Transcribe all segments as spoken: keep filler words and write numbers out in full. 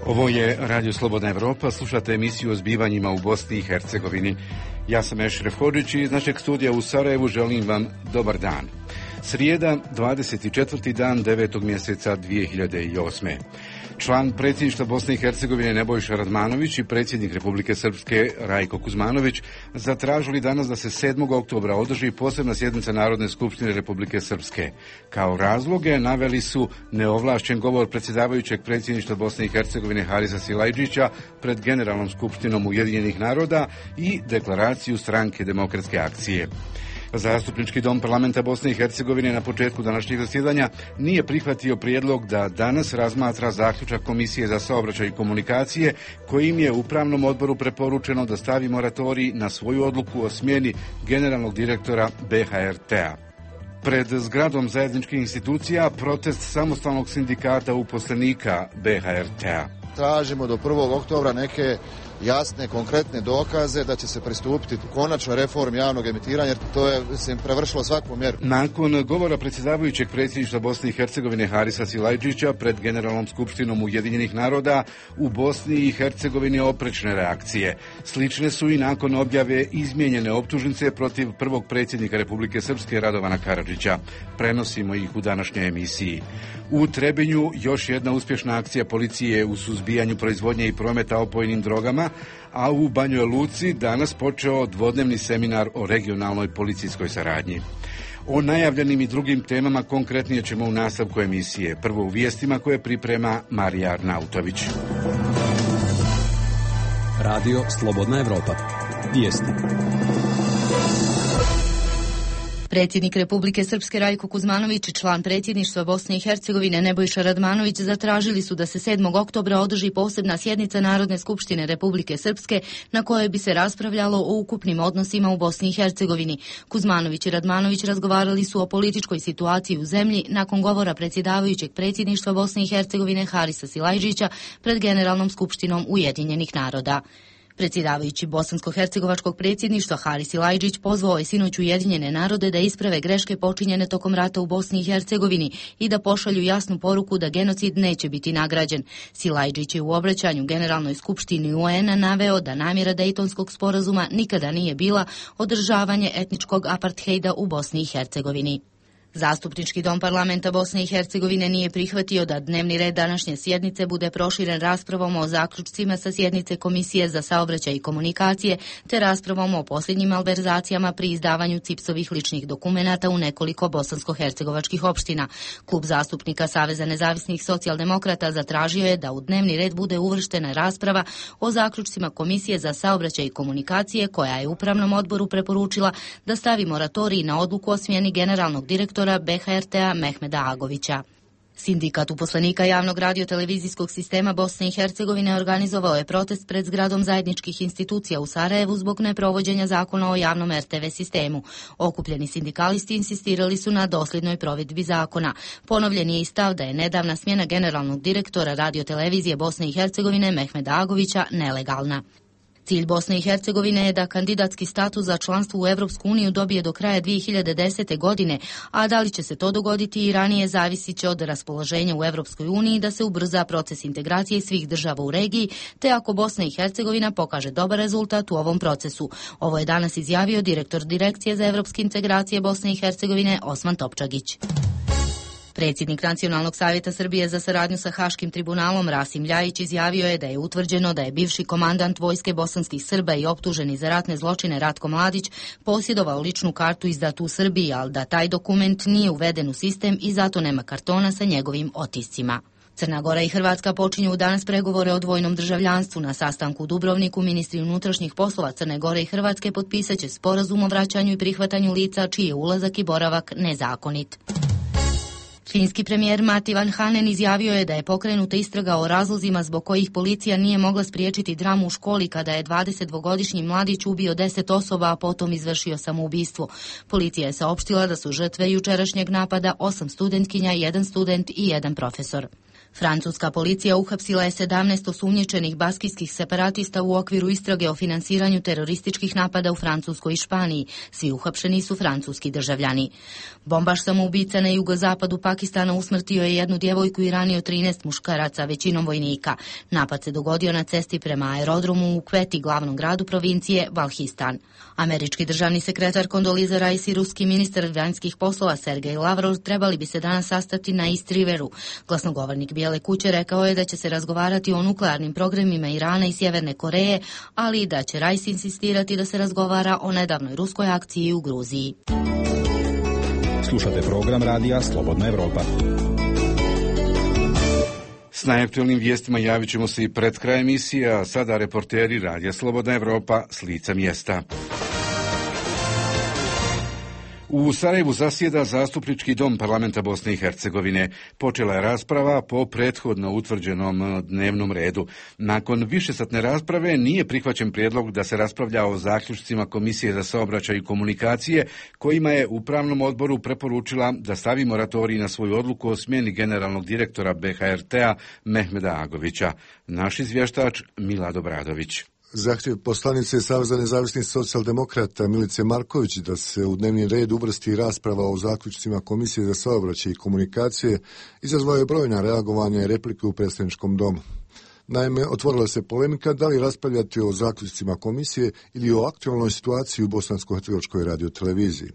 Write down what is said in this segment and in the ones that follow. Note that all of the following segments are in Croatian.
Ovo je Radio Slobodna Evropa, slušate emisiju o zbivanjima u Bosni i Hercegovini. Ja sam Ešref Hodžić i iz našeg studija u Sarajevu želim vam dobar dan. Srijeda, dvadeset četvrti dan devetog mjeseca dvije hiljade osme. Član predsjedništva Bosne i Hercegovine Nebojša Radmanović i predsjednik Republike Srpske Rajko Kuzmanović zatražili danas da se sedmog oktobra održi posebna sjednica Narodne skupštine Republike Srpske. Kao razloge naveli su neovlašćen govor predsjedavajućeg predsjedništva Bosne i Hercegovine Harisa Silajdžića pred Generalnom skupštinom Ujedinjenih naroda i deklaraciju Stranke demokratske akcije. Zastupnički dom parlamenta Bosne i Hercegovine na početku današnjeg zasjedanja nije prihvatio prijedlog da danas razmatra zaključak Komisije za saobraćaj i komunikacije kojim je upravnom odboru preporučeno da stavi moratorij na svoju odluku o smjeni generalnog direktora B H R T-a. Pred zgradom zajedničkih institucija protest samostalnog sindikata uposlenika B H R T-a. Tražimo do prvog oktobra neke jasne, konkretne dokaze da će se pristupiti konačnoj reformi javnog emitiranja, jer to je mislim, prevršilo svaku mjeru. Nakon govora predsjedavajućeg predsjedništva Bosne i Hercegovine Harisa Silajdžića pred Generalnom skupštinom Ujedinjenih naroda u Bosni i Hercegovini oprečne reakcije. Slične su i nakon objave izmijenjene optužnice protiv prvog predsjednika Republike Srpske Radovana Karadžića. Prenosimo ih u današnjoj emisiji. U Trebinju još jedna uspješna akcija policije u suzbijanju proizvodnje i prometa opojnim drogama, a u Banjoj Luci danas počeo dvodnevni seminar o regionalnoj policijskoj saradnji. O najavljenim i drugim temama konkretnije ćemo u nastavku emisije. Prvo u vijestima koje priprema Marija Arnautović. Radio Slobodna Evropa. Vijesti. Predsjednik Republike Srpske Rajko Kuzmanović i član predsjedništva Bosne i Hercegovine Nebojša Radmanović zatražili su da se sedmog oktobra održi posebna sjednica Narodne skupštine Republike Srpske na kojoj bi se raspravljalo o ukupnim odnosima u Bosni i Hercegovini. Kuzmanović i Radmanović razgovarali su o političkoj situaciji u zemlji nakon govora predsjedavajućeg predsjedništva Bosne i Hercegovine Harisa Silajdžića pred Generalnom skupštinom Ujedinjenih naroda. Predsjedavajući bosansko-hercegovačkog predsjedništva Haris Silajdžić pozvao je sinoć Ujedinjene narode da isprave greške počinjene tokom rata u Bosni i Hercegovini i da pošalju jasnu poruku da genocid neće biti nagrađen. Silajdžić je u obraćanju Generalnoj skupštini U N-a naveo da namjera Dejtonskog sporazuma nikada nije bila održavanje etničkog aparthejda u Bosni i Hercegovini. Zastupnički dom parlamenta Bosne i Hercegovine nije prihvatio da dnevni red današnje sjednice bude proširen raspravom o zaključcima sa sjednice Komisije za saobraćaj i komunikacije te raspravom o posljednjim malverzacijama pri izdavanju cipsovih ličnih dokumenata u nekoliko bosansko-hercegovačkih opština. Klub zastupnika Saveza nezavisnih socijaldemokrata zatražio je da u dnevni red bude uvrštena rasprava o zaključcima Komisije za saobraćaj i komunikacije koja je upravnom odboru preporučila da stavi moratorij na odluku o smjeni generalnog direktora B H R T-a Mehmeda Agovića. Sindikat uposlenika javnog radiotelevizijskog sistema Bosne i Hercegovine organizovao je protest pred zgradom zajedničkih institucija u Sarajevu zbog neprovođenja zakona o javnom R T V sistemu. Okupljeni sindikalisti insistirali su na dosljednoj provedbi zakona. Ponovljen je i stav da je nedavna smjena generalnog direktora radiotelevizije Bosne i Hercegovine Mehmeda Agovića nelegalna. Cilj Bosne i Hercegovine je da kandidatski status za članstvo u Evropsku uniju dobije do kraja dvije hiljade desete. godine, a da li će se to dogoditi i ranije zavisit će od raspoloženja u Evropskoj uniji da se ubrza proces integracije svih država u regiji, te ako Bosna i Hercegovina pokaže dobar rezultat u ovom procesu. Ovo je danas izjavio direktor Direkcije za evropske integracije Bosne i Hercegovine Osman Topčagić. Predsjednik Nacionalnog savjeta Srbije za saradnju sa Haškim tribunalom Rasim Ljajić izjavio je da je utvrđeno da je bivši komandant vojske bosanskih Srba i optuženi za ratne zločine Ratko Mladić posjedovao ličnu kartu izdatu u Srbiji, ali da taj dokument nije uveden u sistem i zato nema kartona sa njegovim otiscima. Crna Gora i Hrvatska počinju danas pregovore o dvojnom državljanstvu. Na sastanku u Dubrovniku ministri unutrašnjih poslova Crne Gore i Hrvatske potpisat će sporazum o vraćanju i prihvatanju lica čiji je ulazak i boravak nezakonit. Finski premijer Matti Vanhanen izjavio je da je pokrenuta istraga o razlozima zbog kojih policija nije mogla spriječiti dramu u školi kada je dvadesetdvogodišnji mladić ubio deset osoba, a potom izvršio samoubistvo. Policija je saopštila da su žrtve jučerašnjeg napada osam studentkinja, jedan student i jedan profesor. Francuska policija uhapsila je sedamnaest osumnjičenih baskijskih separatista u okviru istrage o finansiranju terorističkih napada u Francuskoj i Španiji. Svi uhapšeni su francuski državljani. Bombaš samoubica na jugozapadu Pakistana usmrtio je jednu djevojku i ranio trinaest muškaraca, većinom vojnika. Napad se dogodio na cesti prema aerodromu u Kveti, glavnom gradu provincije Balhistan. Američki državni sekretar Kondoliza Rice i ruski ministar vanjskih poslova Sergej Lavrov trebali bi se danas sastati na East Riveru. Glasnogovornik Bijele kuće rekao je da će se razgovarati o nuklearnim programima Irana i Sjeverne Koreje, ali i da će Rice insistirati da se razgovara o nedavnoj ruskoj akciji u Gruziji. Slušate program radija Slobodna Evropa. S najaktualnim vijestima javit ćemo se i pred kraj emisije, a sada reporteri radija Slobodna Evropa s lica mjesta. U Sarajevu zasjeda Zastupnički dom Parlamenta Bosne i Hercegovine. Počela je rasprava po prethodno utvrđenom dnevnom redu. Nakon višesatne rasprave nije prihvaćen prijedlog da se raspravlja o zaključcima Komisije za saobraćaj i komunikacije, kojima je Upravnom odboru preporučila da stavi moratorij na svoju odluku o smjeni generalnog direktora B H R T-a Mehmeda Agovića. Naš izvještač Milad Obradović. Zahtjev poslanice Saveza nezavisnih socijaldemokrata Milice Marković da se u dnevni red uvrsti rasprava o zaključcima Komisije za saobraćaj i komunikacije izazvao je brojna reagovanja i replike u predstavničkom domu. Naime, otvorila se polemika da li raspravljati o zaključcima komisije ili o aktualnoj situaciji u Bosansko-hercegovačkoj radioteleviziji.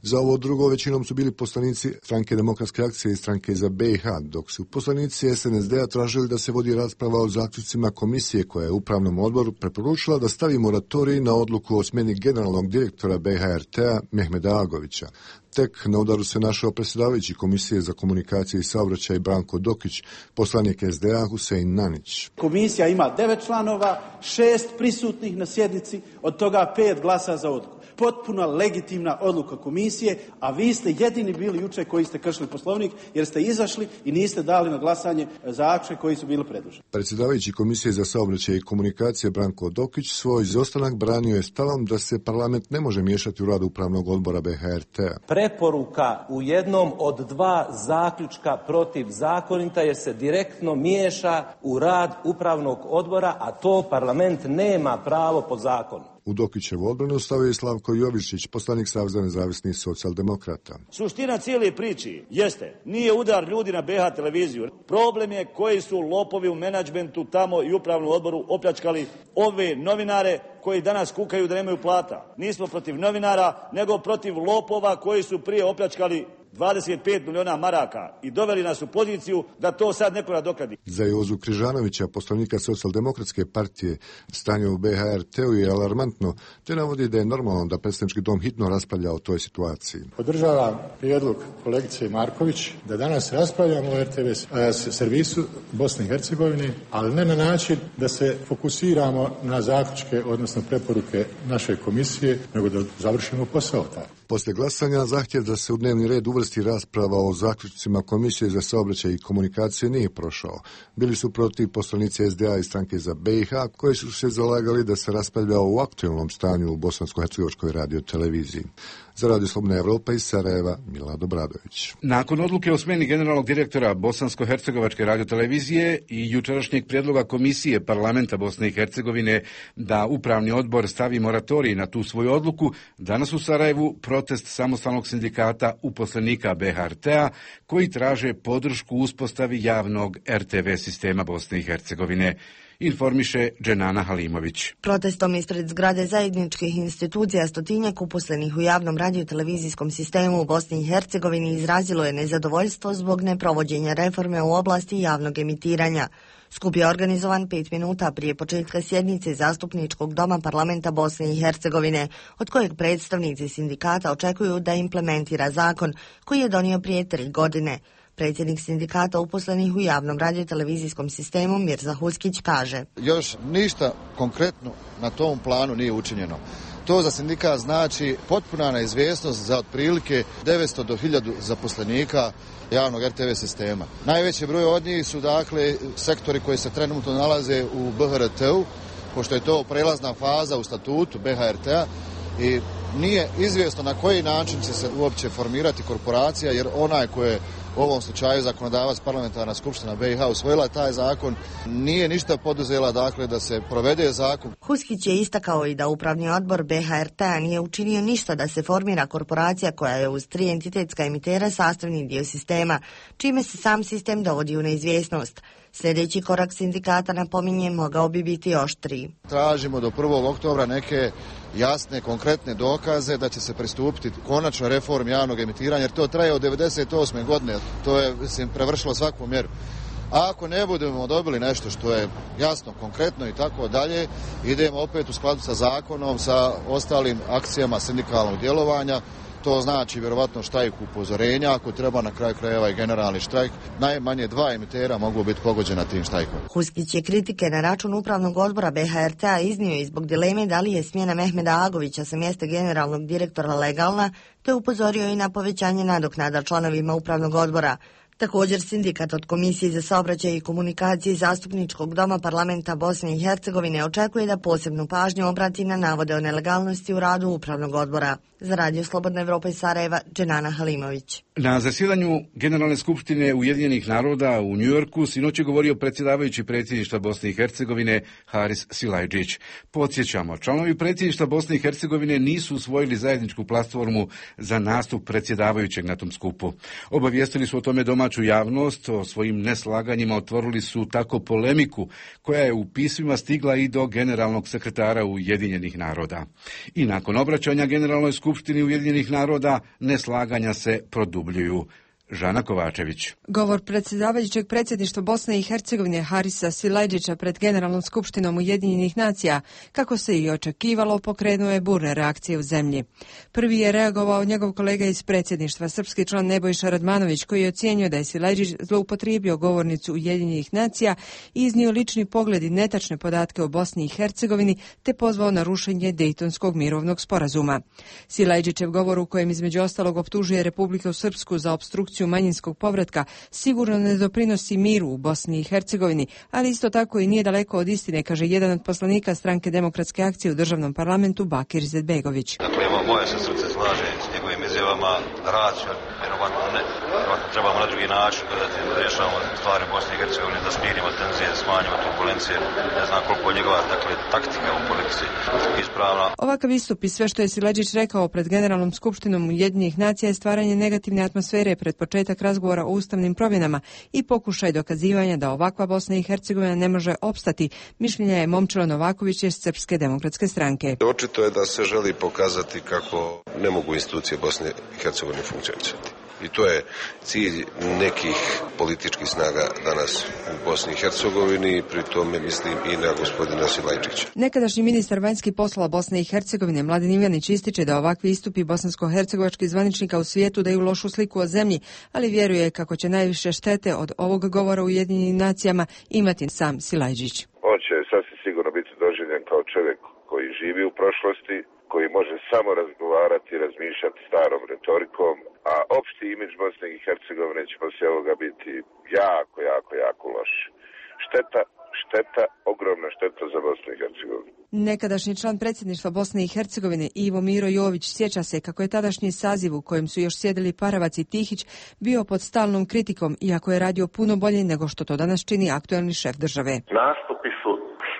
Za ovo drugo većinom su bili poslanici Stranke demokratske akcije i Stranke za B i H, dok su poslanici S N S D-a tražili da se vodi rasprava o zaključcima komisije koja je Upravnom odboru preporučila da stavi moratorij na odluku o smjeni generalnog direktora B H R T-a Mehmeda Agovića. Tek na udaru se našao predsjedavajući Komisije za komunikaciju i saobraćaj Branko Dokić, poslanik S D A Husein Nanić. Komisija ima devet članova, šest prisutnih na sjednici, od toga pet glasa za odluku. Potpuno legitimna odluka komisije, a vi ste jedini bili jučer koji ste kršili Poslovnik jer ste izašli i niste dali na glasanje zaključke koji su bili predloženi. Predsjedavajući Komisije za saobraćaj i komunikacije Branko Dokić svoj izostanak branio je stavom da se parlament ne može miješati u rad Upravnog odbora B H R T-a. Preporuka u jednom od dva zaključka protivzakonita jer se direktno miješa u rad Upravnog odbora, a to parlament nema pravo po zakonu. U Dokićevu odbranu stavio je Slavko Jovičić, poslanik Saveza nezavisnih socijaldemokrata. Suština cijele priči jeste, nije udar ljudi na B H televiziju. Problem je koji su lopovi u menadžmentu tamo i Upravnom odboru opljačkali ove novinare koji danas kukaju da nemaju plata. Nismo protiv novinara, nego protiv lopova koji su prije opljačkali dvadeset pet miliona maraka i doveli nas u poziciju da to sad neko nadoknadi. Za Jozu Križanovića, poslanika Socijaldemokratske partije, stanje u B H R T-u je alarmantno, te navodi da je normalno da predstavnički dom hitno raspravlja o toj situaciji. Podržavam prijedlog kolegice Marković da danas raspravljamo o R T V servisu Bosne i Hercegovine, ali ne na način da se fokusiramo na zaključke, odnosno preporuke naše komisije, nego da završimo posao taj. Poslije glasanja zahtjev da se u dnevni red uvrsti rasprava o zaključcima Komisije za saobraćaj i komunikacije nije prošao. Bili su protiv poslanici S D A i Stranke za B i H koji su se zalagali da se raspravlja o aktualnom stanju u Bosansko-hercegovačkoj radioteleviziji. Za Radio Slobodna Evropa iz Sarajeva, Milad Obradović. Nakon odluke o smjeni generalnog direktora Bosansko-hercegovačke radiotelevizije i jučerašnjeg prijedloga Komisije Parlamenta Bosne i Hercegovine da Upravni odbor stavi moratorij na tu svoju odluku, danas u Sarajevu protest samostalnog sindikata uposlenika B H R T-a koji traže podršku uspostavi javnog R T V sistema Bosne i Hercegovine. Informiše Dženana Halimović. Protestom ispred zgrade zajedničkih institucija stotinjak uposlenih u javnom radiotelevizijskom sistemu u Bosni i Hercegovini izrazilo je nezadovoljstvo zbog neprovođenja reforme u oblasti javnog emitiranja. Skup je organizovan pet minuta prije početka sjednice Zastupničkog doma Parlamenta Bosne i Hercegovine, od kojeg predstavnici sindikata očekuju da implementira zakon koji je donio prije tri godine. Predsjednik sindikata uposlenih u javnom radiotelevizijskom sistemu Mirza Huskić kaže: Još ništa konkretno na tom planu nije učinjeno. To za sindikat znači potpuna neizvjesnost za otprilike devetsto do hiljadu zaposlenika javnog R T V sistema. Najveći broj od njih su dakle sektori koji se trenutno nalaze u B H R T-u, pošto je to prelazna faza u statutu B H R T-a i nije izvjesno na koji način će se uopće formirati korporacija, jer onaj ko je u ovom slučaju zakonodavac parlamentarna skupština B i H usvojila taj zakon, nije ništa poduzela dakle da se provede zakon. Huskić je istakao i da upravni odbor B H R T-a nije učinio ništa da se formira korporacija koja je uz tri entitetska emitera sastavni dio sistema, čime se sam sistem dovodi u neizvjesnost. Sljedeći korak sindikata, napominje, mogao bi biti oštriji. Tražimo do prvog oktobra neke jasne, konkretne dokaze da će se pristupiti konačno reformi javnog emitiranja, jer to traje od devedeset osme godine, to je mislim, prevršilo svaku mjeru. A ako ne budemo dobili nešto što je jasno, konkretno i tako dalje, idemo opet u skladu sa zakonom, sa ostalim akcijama sindikalnog djelovanja. To znači vjerovatno štrajk upozorenja, ako treba na kraju krajeva i generalni štrajk. Najmanje dva emitera mogu biti pogođena tim štrajkom. Huskić je kritike na račun upravnog odbora B H R T-a iznio i zbog dileme da li je smjena Mehmeda Agovića sa mjesta generalnog direktora legalna, te upozorio i na povećanje nadoknada članovima upravnog odbora. Također sindikat od Komisije za saobraćaj i komunikacije Zastupničkog doma parlamenta Bosne i Hercegovine očekuje da posebnu pažnju obrati na navode o nelegalnosti u radu upravnog odbora. Za Radio Slobodna Evropa iz Sarajeva, Dženana Halimović. Na zasjedanju Generalne skupštine Ujedinjenih naroda u Njujorku sinoć je govorio predsjedavajući predsjedništva Bosne i Hercegovine Haris Silajdžić. Podsjećamo, članovi predsjedništva Bosne i Hercegovine nisu usvojili zajedničku platformu za nastup predsjedavajućeg na tom skupu. Obavijestili su o tome domaću javnost, o svojim neslaganjima otvorili su tako polemiku koja je u pismima stigla i do generalnog sekretara Ujedinjenih naroda. I nakon obraćanja Generalnoj skupštini Ujedinjenih naroda neslaganja se produbljuju. Žana Kovačević. Govor predsjedavajućeg predsjedništva Bosne i Hercegovine Harisa Silajdžića pred Generalnom skupštinom Ujedinjenih nacija, kako se i očekivalo, pokrenuo je burne reakcije u zemlji. Prvi je reagovao njegov kolega iz predsjedništva, srpski član Nebojša Radmanović, koji je ocijenio da je Silajdžić zloupotrijebio govornicu Ujedinjenih nacija i iznio lični pogled i netačne podatke o Bosni i Hercegovini, te pozvao na rušenje Dejtonskog mirovnog sporazuma. Silajdžićev govor, u kojem između ostalog optužuje Republiku Srpsku za opstrukciju manjinskog povratka, sigurno ne doprinosi miru u Bosni i Hercegovini, ali isto tako i nije daleko od istine, kaže jedan od poslanika Stranke demokratske akcije u državnom parlamentu Bakir Izetbegović. Dakle, moje se srce slaže s njegovim izjavama, racio, vjerovatno ne, vjerovatno trebamo na drugi način gledati da rješavamo stvari u Bosni i Hercegovini, da smirimo tenzije, da smanjimo turbulencije, ne znam koliko je njegova, dakle, taktika u politici ispravna. Ovakav istup i sve što je Silajdžić rekao pred Generalnom skupštinom Ujedinjenih nacija je stvaranje negativne atmosfere pred početak razgovora o ustavnim promjenama i pokušaj dokazivanja da ovakva Bosna i Hercegovina ne može opstati, mišljenja je Momčilo Novaković iz Srpske demokratske stranke. Očito je da se želi pokazati kako ne mogu institucije Bosne i Hercegovine funkcionisati. I to je cilj nekih političkih snaga danas u Bosni i Hercegovini, pri tome mislim i na gospodina Silajdžića. Nekadašnji ministar vanjskih poslova Bosne i Hercegovine Mladen Ivanić ističe da ovakvi istupi bosansko-hercegovačkih zvaničnika u svijetu daju lošu sliku o zemlji, ali vjeruje kako će najviše štete od ovog govora u Ujedinjenim nacijama imati sam Silajdžić. On će sasvim sigurno biti doživljen kao čovjek koji živi u prošlosti, koji može samo razgovarati i razmišljati starom retorikom, a opšti imidž Bosne i Hercegovine će poslije ovoga biti jako, jako, jako loš. Šteta, šteta, ogromna šteta za Bosnu i Hercegovinu. Nekadašnji član predsjedništva Bosne i Hercegovine Ivo Miro Jović sjeća se kako je tadašnji saziv u kojem su još sjedili Paravac i Tihić bio pod stalnom kritikom, iako je radio puno bolje nego što to danas čini aktuelni šef države. Nastupi su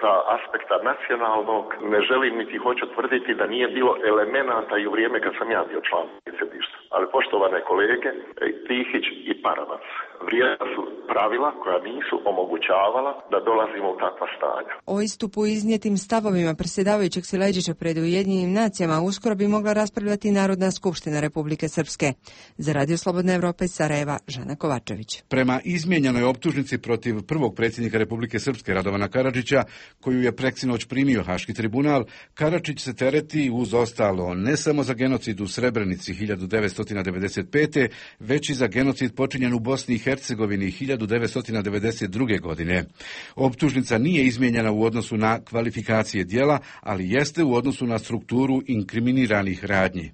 sa aspekta nacionalnog, ne želim niti hoću tvrditi da nije bilo elemenata i u vrijeme kad sam ja bio član predsjedništva. Ali poštovane kolege, Tihić i Paravac vrijedna su pravila koja nisu omogućavala da dolazimo u takva stanja. O istupu iznijetim stavovima predsjedavajućeg Silajdžića pred Ujedinjenim nacijama uskoro bi mogla raspravljati Narodna skupština Republike Srpske. Za Radio Slobodna Evropa iz Sarajeva, Žana Kovačević. Prema izmijenjenoj optužnici protiv prvog predsjednika Republike Srpske Radovana Karadžića, koju je preksinoć primio Haški tribunal, Karadžić se tereti uz ostalo ne samo za genocid u Srebrenici hiljadu devetsto devedeset pete. već i za genocid počinjen u Bosni i Hercegovini hiljadu devetsto devedeset druge. godine. Optužnica nije izmijenjena u odnosu na kvalifikacije djela, ali jeste u odnosu na strukturu inkriminiranih radnji.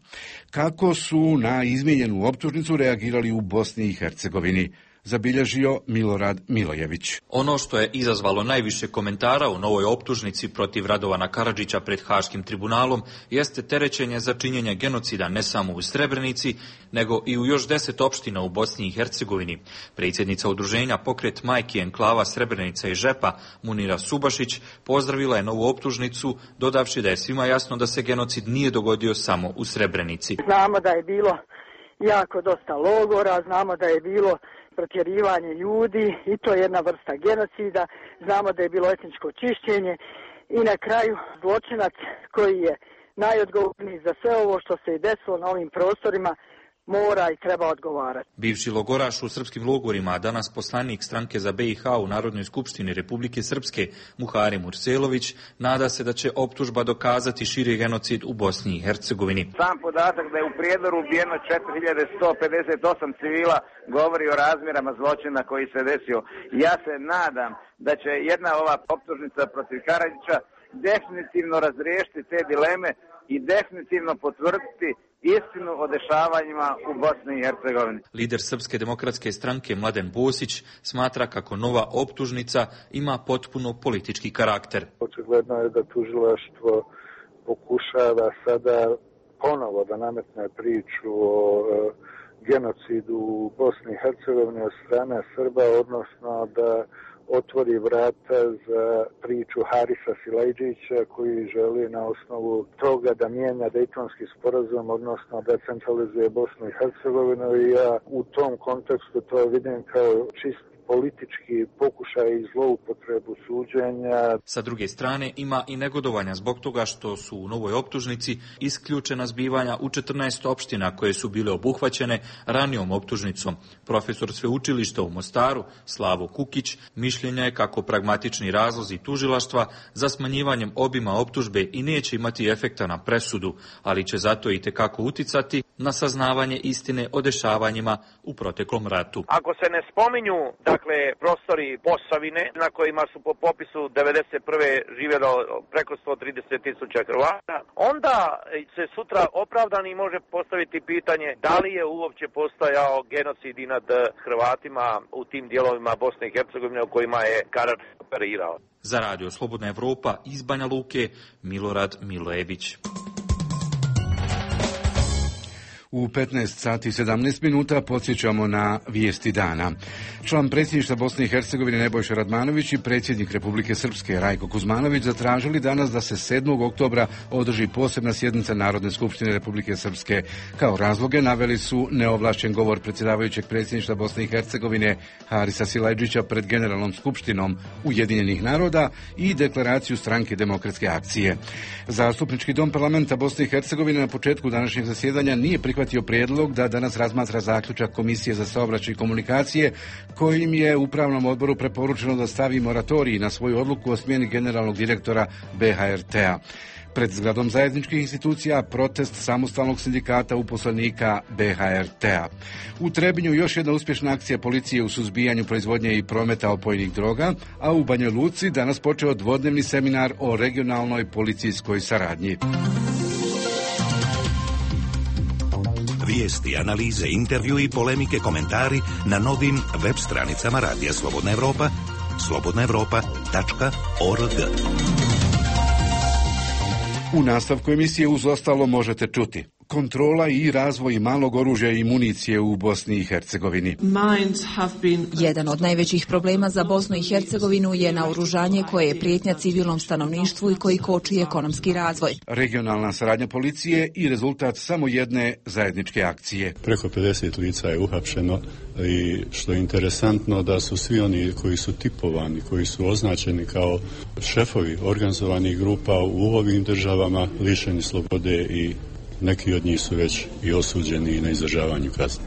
Kako su na izmijenjenu optužnicu reagirali u Bosni i Hercegovini? zabilježio Milorad Milojević. Ono što je izazvalo najviše komentara u novoj optužnici protiv Radovana Karadžića pred Haškim tribunalom jeste terećenje za činjenje genocida ne samo u Srebrenici, nego i u još deset opština u Bosni i Hercegovini. Predsjednica udruženja Pokret majki enklava Srebrenica i Žepa, Munira Subašić, pozdravila je novu optužnicu, dodavši da je svima jasno da se genocid nije dogodio samo u Srebrenici. Znamo da je bilo jako dosta logora, znamo da je bilo protjerivanje ljudi i to je jedna vrsta genocida, znamo da je bilo etničko čišćenje i na kraju zločinac koji je najodgovorniji za sve ovo što se je desilo na ovim prostorima mora i treba odgovarati. Bivši logoraš u srpskim logorima, a danas poslanik stranke za B i H u Narodnoj skupštini Republike Srpske, Muharem Urselović, nada se da će optužba dokazati širi genocid u Bosni i Hercegovini. Sam podatak da je u Prijedoru ubijeno četiri hiljade sto pedeset osam civila govori o razmjerama zločina koji se desio. Ja se nadam da će jedna ova optužnica protiv Karadžića definitivno razriješiti te dileme i definitivno potvrditi istinu o dešavanjima u Bosni i Hercegovini. Lider Srpske demokratske stranke Mladen Bosić smatra kako nova optužnica ima potpuno politički karakter. Očigledno je da tužilaštvo pokušava sada ponovo da nametne priču o e, genocidu u Bosni i Hercegovini od strane Srba, odnosno da otvori vrata za priču Harisa Silajdžića koji želi na osnovu toga da mijenja Dejtonski sporazum, odnosno da centralizuje Bosnu i Hercegovinu, i ja u tom kontekstu to vidim kao čist politički pokušaj i zloupotrebu suđenja. Sa druge strane, ima i negodovanja zbog toga što su u novoj optužnici isključena zbivanja u četrnaest opština koje su bile obuhvaćene ranijom optužnicom. Profesor sveučilišta u Mostaru, Slavo Kukić, mišljenja je kako pragmatični razlozi tužilaštva za smanjivanjem obima optužbe i neće imati efekta na presudu, ali će zato i tekako uticati na saznavanje istine o dešavanjima u proteklom ratu. Ako se ne spominju, dakle, prostori Posavine na kojima su po popisu devedeset prve živjelo preko sto trideset tisuća Hrvata, onda se sutra opravdani može postaviti pitanje da li je uopće postojao genocid i nad Hrvatima u tim dijelovima Bosne i Hercegovine u kojima je Karadžić operirao. Za Radio Slobodna Evropa iz Banja Luke, Milorad Milojević. U petnaest sati i sedamnaest minuta podsjećamo na vijesti dana. Član predsjedništva Bosne i Hercegovine Nebojša Radmanović i predsjednik Republike Srpske Rajko Kuzmanović zatražili danas da se sedmog oktobra održi posebna sjednica Narodne skupštine Republike Srpske. Kao razloge naveli su neovlašćen govor predsjedavajućeg predsjedništva Bosne i Hercegovine Harisa Silajdžića pred Generalnom skupštinom Ujedinjenih naroda i deklaraciju Stranke demokratske akcije. Zastupnički dom parlamenta Bosne i Hercegovine na početku današnjeg zasjedanja nije prihvatio prijedlog da danas razmatra zaključak Komisije za saobraćaj i komunikacije kojim je upravnom odboru preporučeno da stavi moratorij na svoju odluku o smjeni generalnog direktora B H R T-a. Pred zgradom zajedničkih institucija protest samostalnog sindikata uposlenika B H R T-a. U Trebinju još jedna uspješna akcija policije u suzbijanju proizvodnje i prometa opojnih droga, a u Banjoj Luci danas počeo dvodnevni seminar o regionalnoj policijskoj saradnji. Vijesti, analize, intervju i polemike, komentari na novim web stranicama Radija Slobodna Evropa, slobodna evropa tačka org. U nastavku emisije uz ostalo možete čuti kontrola i razvoj malog oružja i municije u Bosni i Hercegovini. Jedan od najvećih problema za Bosnu i Hercegovinu je naoružanje koje je prijetnja civilnom stanovništvu i koji koči ekonomski razvoj. Regionalna saradnja policije i rezultat samo jedne zajedničke akcije. Preko pedeset lica je uhapšeno i što je interesantno da su svi oni koji su tipovani, koji su označeni kao šefovi organizovanih grupa u ovim državama lišeni slobode i neki od njih su već i osuđeni na izdržavanju kazne.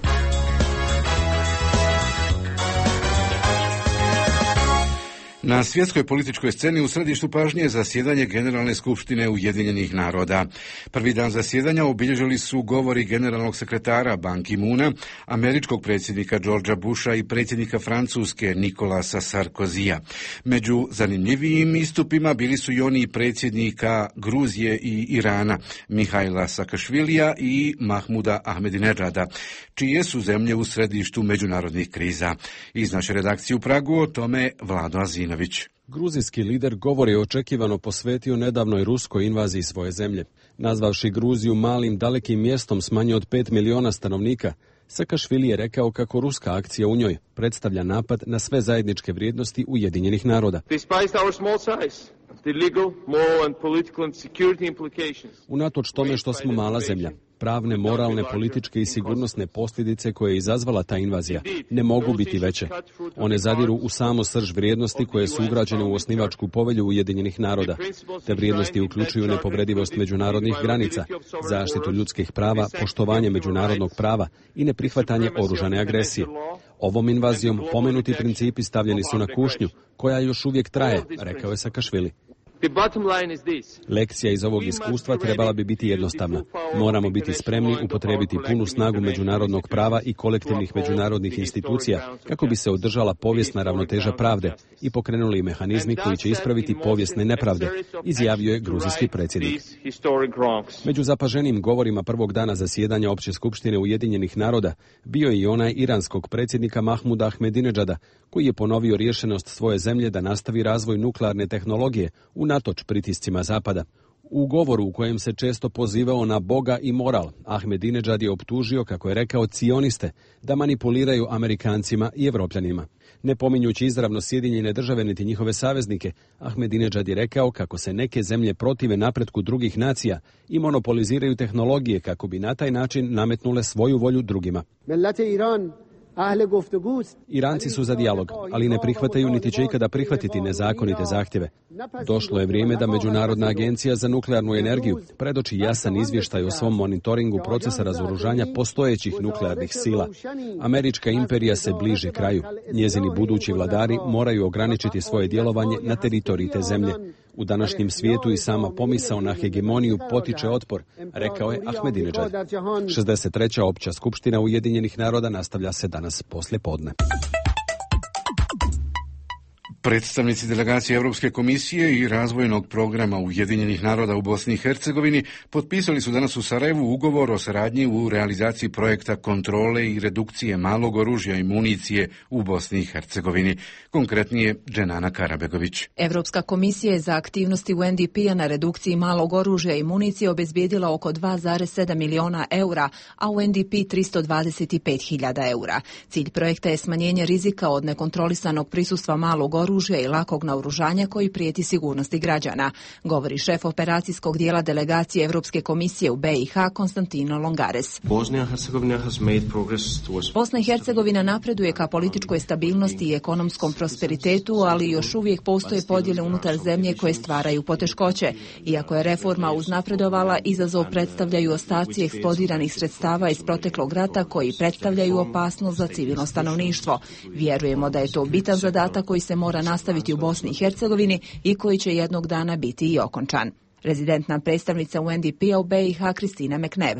Na svjetskoj političkoj sceni u središtu pažnje je zasjedanje Generalne skupštine Ujedinjenih naroda. Prvi dan zasjedanja obilježili su govori generalnog sekretara Ban Ki-moona, američkog predsjednika Georgea Busha i predsjednika Francuske Nicolasa Sarkozija. Među zanimljivijim istupima bili su i oni predsjednika Gruzije i Irana, Mihaila Saakašvilija i Mahmuda Ahmedinedžada, čije su zemlje u središtu međunarodnih kriza. Iz naše redakcije u Pragu o tome Vlado Azinović. Gruzijski lider govor je očekivano posvetio nedavnoj ruskoj invaziji svoje zemlje. Nazvavši Gruziju malim dalekim mjestom s manje od pet miliona stanovnika, Saakašvili je rekao kako ruska akcija u njoj predstavlja napad na sve zajedničke vrijednosti Ujedinjenih naroda. Unatoč tome što smo mala zemlja, pravne, moralne, političke i sigurnosne posljedice koje je izazvala ta invazija ne mogu biti veće. One zadiru u samo srž vrijednosti koje su ugrađene u osnivačku povelju Ujedinjenih naroda. Te vrijednosti uključuju nepovredivost međunarodnih granica, zaštitu ljudskih prava, poštovanje međunarodnog prava i neprihvatanje oružane agresije. Ovom invazijom pomenuti principi stavljeni su na kušnju, koja još uvijek traje, rekao je Saakašvili. Lekcija iz ovog iskustva trebala bi biti jednostavna. Moramo biti spremni upotrijebiti punu snagu međunarodnog prava i kolektivnih međunarodnih institucija kako bi se održala povijesna ravnoteža pravde i pokrenuli mehanizmi koji će ispraviti povijesne nepravde, izjavio je gruzijski predsjednik. Među zapaženim govorima prvog dana zasjedanja Opće skupštine Ujedinjenih naroda bio je i onaj iranskog predsjednika Mahmuda Ahmedinedžada, koji je ponovio rješenost svoje zemlje da nastavi razvoj nuklearne tehnologije unatoč pritiscima Zapada. U govoru u kojem se često pozivao na Boga i moral, Ahmedinedžad je optužio, kako je rekao, cioniste da manipuliraju Amerikancima i Evropljanima. Ne pominjući izravno Sjedinjene države niti njihove saveznike, Ahmedinedžad je rekao kako se neke zemlje protive napretku drugih nacija i monopoliziraju tehnologije kako bi na taj način nametnule svoju volju drugima. Iranci su za dijalog, ali ne prihvataju niti će ikada prihvatiti nezakonite zahtjeve. Došlo je vrijeme da Međunarodna agencija za nuklearnu energiju predoči jasan izvještaj o svom monitoringu procesa razoružanja postojećih nuklearnih sila. Američka imperija se bliže kraju. Njezini budući vladari moraju ograničiti svoje djelovanje na teritoriji te zemlje. U današnjem svijetu i sama pomisao na hegemoniju potiče otpor, rekao je Ahmedinedžad. šezdeset treća Opća skupština Ujedinjenih naroda nastavlja se danas poslije podne. Predstavnici delegacije Europske komisije i razvojnog programa Ujedinjenih naroda u Bosni i Hercegovini potpisali su danas u Sarajevu ugovor o saradnji u realizaciji projekta kontrole i redukcije malog oružja i municije u Bosni i Hercegovini. Konkretnije, Dženana Karabegović. Europska komisija je za aktivnosti U N D P-a na redukciji malog oružja i municije obezbijedila oko dva zarez sedam miliona eura, a U N D P tristo dvadeset pet hiljada eura. Cilj projekta je smanjenje rizika od nekontrolisanog prisustva malog oružja i lakog naoružanja koji prijeti sigurnosti građana, govori šef operacijskog dijela delegacije Europske komisije u B i H Konstantino Longares. Bosna i Hercegovina napreduje ka političkoj stabilnosti i ekonomskom prosperitetu, ali još uvijek postoje podjele unutar zemlje koje stvaraju poteškoće. Iako je reforma uznapredovala, izazov predstavljaju ostaci eksplodiranih sredstava iz proteklog rata koji predstavljaju opasnost za civilno stanovništvo. Vjerujemo da je to bitan zadatak koji se mora nastaviti u Bosni i Hercegovini i koji će jednog dana biti i okončan. Rezidentna predstavnica U N D P-a u B i H Kristina McNabb.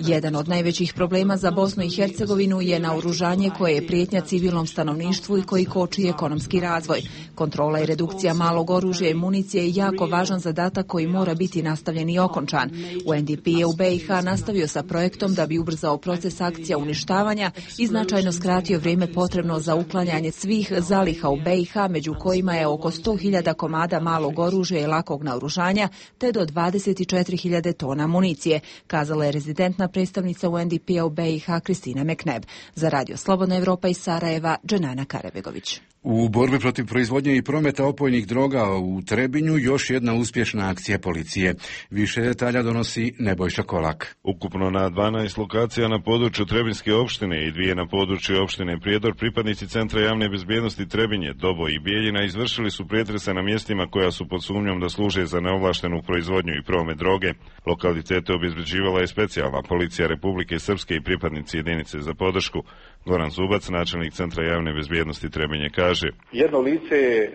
Jedan od najvećih problema za Bosnu i Hercegovinu je naoružanje koje je prijetnja civilnom stanovništvu i koji koči ekonomski razvoj. Kontrola i redukcija malog oružja i municije je jako važan zadatak koji mora biti nastavljen i okončan. U N D P je u B i H nastavio sa projektom da bi ubrzao proces akcija uništavanja i značajno skratio vrijeme potrebno za uklanjanje svih zaliha u B i H, među kojima je oko sto hiljada komada malog oružja i lakog naoružanja te do dvadeset četiri hiljade tona municije, kazala je rezidentna predstavnica U N D P-a u B i H Kristina McNabb. Za Radio Slobodna Evropa iz Sarajeva, Dženana Karabegović. U borbi protiv proizvodnje i prometa opojnih droga u Trebinju još jedna uspješna akcija policije. Više detalja donosi Nebojša Kolak. Ukupno na dvanaest lokacija na području Trebinjske opštine i dvije na području opštine Prijedor pripadnici Centra javne bezbjednosti Trebinje, Dobo i Bijeljina izvršili su pretrese na mjestima koja su pod sumnjom da služe za neovlaštenu proizvodnju i promet droge. Lokalitete obezbeđivala je specijalna policija Republike Srpske i pripadnici jedinice za podršku. Goran Zubac, načelnik Centra javne bezbjednosti Trebinje, kaže: kaže. Jedno lice je e,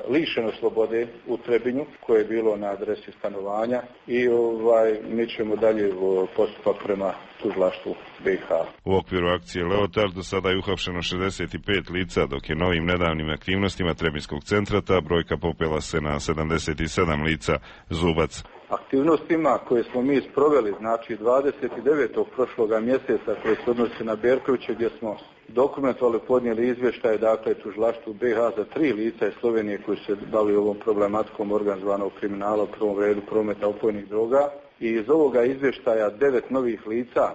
lišeno slobode u Trebinju koje je bilo na adresi stanovanja i ovaj, mi ćemo dalje u postupak prema tužilaštvu B iH. U okviru akcije Leotard do sada je uhapšeno šezdeset pet lica, dok je novim nedavnim aktivnostima Trebinjskog centra ta brojka popela se na sedamdeset sedam lica. Zubac. Aktivnostima koje smo mi sproveli, znači dvadeset devetog prošloga mjeseca, koje se odnose na Berkovića, gdje smo dokumentovali, podnijeli izvještaje, dakle, tužilaštvu B iH za tri lica iz Slovenije koji se bavili ovom problematikom organizovanog kriminala, u prvom redu prometa opojnih droga. I iz ovoga izvještaja devet novih lica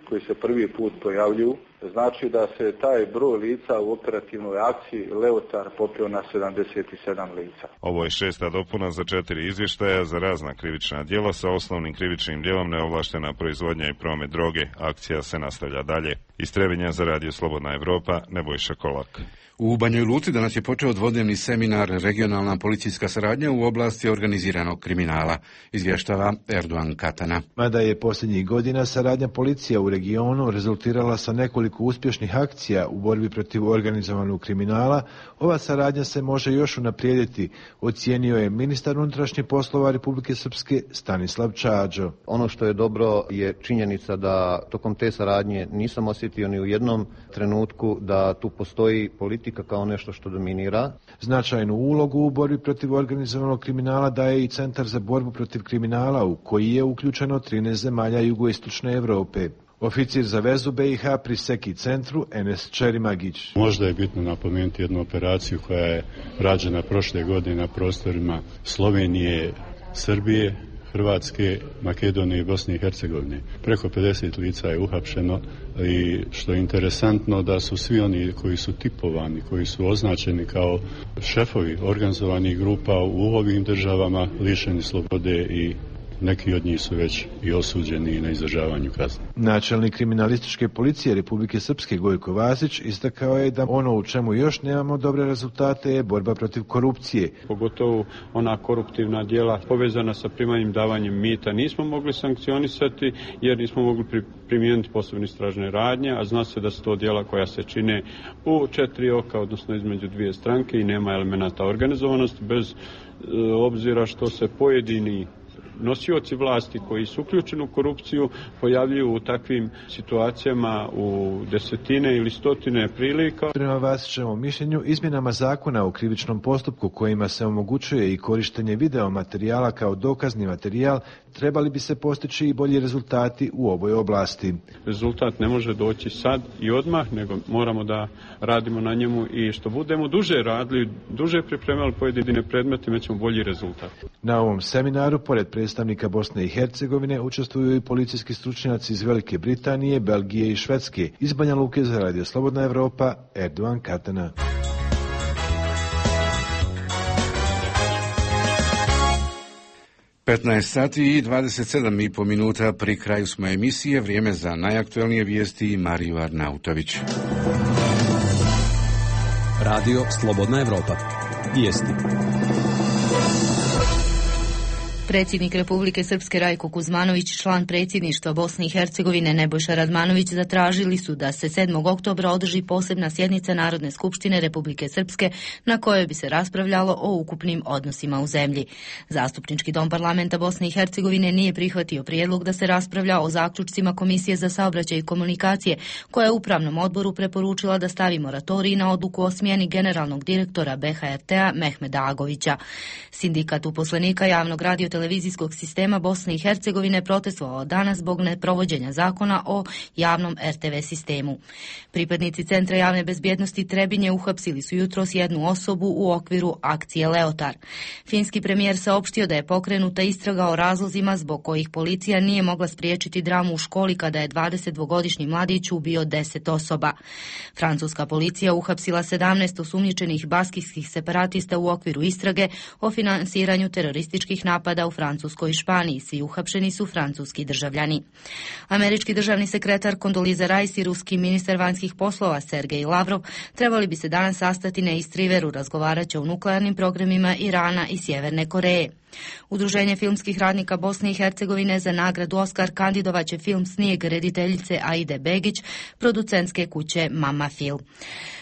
koji se prvi put pojavljuju, znači da se taj broj lica u operativnoj akciji Leotar popio na sedamdeset sedam lica. Ovo je šesta dopuna za četiri izvještaja za razna krivična djela sa osnovnim krivičnim djelom neovlaštena proizvodnja i promet droge. Akcija se nastavlja dalje. Iz Trebinja za Radio Slobodna Evropa, Nebojša Kolak. U Banjoj Luci danas je počeo dvodnevni seminar Regionalna policijska saradnja u oblasti organiziranog kriminala, izvještava Erdogan Katana. Mada je posljednjih godina saradnja policija u regionu rezultirala sa nekoliko uspješnih akcija u borbi protiv organizovanog kriminala, ova saradnja se može još unaprijediti, ocijenio je ministar unutrašnjih poslova Republike Srpske Stanislav Čađo. Ono što je dobro je činjenica da tokom te saradnje nisam osjetio ni u jednom trenutku da tu postoji politika kao nešto što dominira. Značajnu ulogu u borbi protiv organizovanog kriminala daje i Centar za borbu protiv kriminala, u koji je uključeno trinaest zemalja jugoistočne Europe. Oficir za vezu B iH pri Seki centru Enes Čerimagić. Možda je bitno napomenuti jednu operaciju koja je rađena prošle godine na prostorima Slovenije, Srbije, Hrvatske, Makedonije i Bosne i Hercegovine. Preko pedeset lica je uhapšeno i što je interesantno da su svi oni koji su tipovani, koji su označeni kao šefovi organizovanih grupa u ovim državama lišeni slobode i neki od njih su već i osuđeni na izdržavanju kazne. Načelnik kriminalističke policije Republike Srpske Gojko Vasić istakao je da ono u čemu još nemamo dobre rezultate je borba protiv korupcije. Pogotovo ona koruptivna djela povezana sa primanjem davanjem mita nismo mogli sankcionisati jer nismo mogli primijeniti posebne istražne radnje, a zna se da su to djela koja se čine u četiri oka, odnosno između dvije stranke i nema elemenata organizovanosti bez e, obzira što se pojedini nosioci vlasti koji su uključeni u korupciju pojavljuju u takvim situacijama u desetine ili stotine prilika. Prema Vasićevom mišljenju, izmjenama zakona o krivičnom postupku kojima se omogućuje i korištenje video materijala kao dokazni materijal, trebali bi se postići i bolji rezultati u ovoj oblasti. Rezultat ne može doći sad i odmah, nego moramo da radimo na njemu i što budemo duže radili, duže pripremali pojedine predmete, imat ćemo bolji rezultat. Na ovom seminaru, pored predstavnika Bosne i Hercegovine, učestvuju i policijski stručnjaci iz Velike Britanije, Belgije i Švedske. Iz Banja Luke za Radio Slobodna Evropa, Erdogan Katana. petnaest sati i dvadeset sedam i po minuta, pri kraju smo emisije, vrijeme za najaktuelnije vijesti i Mariju Arnautović. Radio Slobodna Evropa. Vijesti. Predsjednik Republike Srpske Rajko Kuzmanović, član predsjedništva Bosne i Hercegovine Nebojša Radmanović zatražili su da se sedmog oktobra održi posebna sjednica Narodne skupštine Republike Srpske na kojoj bi se raspravljalo o ukupnim odnosima u zemlji. Zastupnički dom parlamenta Bosne i Hercegovine nije prihvatio prijedlog da se raspravlja o zaključcima Komisije za saobraćaj i komunikacije, koja je upravnom odboru preporučila da stavi moratorij na odluku o smjeni generalnog direktora B H R T-a Mehmeda Agovića. Sindikat uposlenika javnog radio televizijskog sistema Bosne i Hercegovine protestovao danas zbog neprovođenja zakona o javnom R T V sistemu. Pripadnici Centra javne bezbjednosti Trebinje uhapsili su jutros jednu osobu u okviru akcije Leotar. Finski premijer saopštio da je pokrenuta istraga o razlozima zbog kojih policija nije mogla spriječiti dramu u školi kada je dvadesetdvogodišnji mladić ubio deset osoba. Francuska policija uhapsila sedamnaest osumnjičenih baskijskih separatista u okviru istrage o finansiranju terorističkih napada u Francuskoj i Španiji. Svi uhapšeni su francuski državljani. Američki državni sekretar Kondoliza Rice i ruski ministar vanjskih poslova Sergej Lavrov trebali bi se danas sastati na East Riveru, razgovarat će o nuklearnim programima Irana i Sjeverne Koreje. Udruženje filmskih radnika Bosne i Hercegovine za nagradu Oskar kandidovaće film Snijeg rediteljice Aide Begić, producentske kuće Mama Film.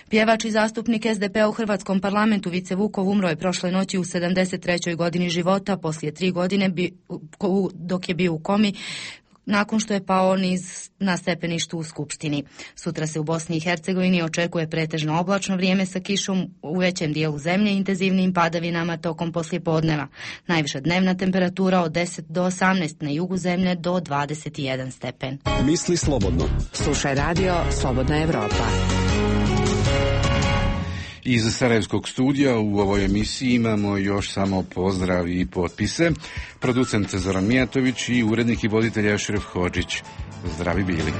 Pjevač i zastupnik es de pe a u Hrvatskom parlamentu Vice Vukov umro je prošle noći u sedamdeset trećoj godini života, poslije tri godine bi, dok je bio u komi, nakon što je pao niz na stepeništu u Skupštini. Sutra se u Bosni i Hercegovini očekuje pretežno oblačno vrijeme sa kišom u većem dijelu zemlje i intenzivnim padavinama tokom poslijepodneva. Najviša dnevna temperatura od deset do osamnaest, na jugu zemlje do dvadeset jedan stepen. Misli slobodno. Slušaj radio Slobodna Evropa. Iz Sarajevskog studija u ovoj emisiji imamo još samo pozdrav i potpise. Producent Zoran Mijatović i urednik i voditelj Ašref Hodžić. Zdravi bili.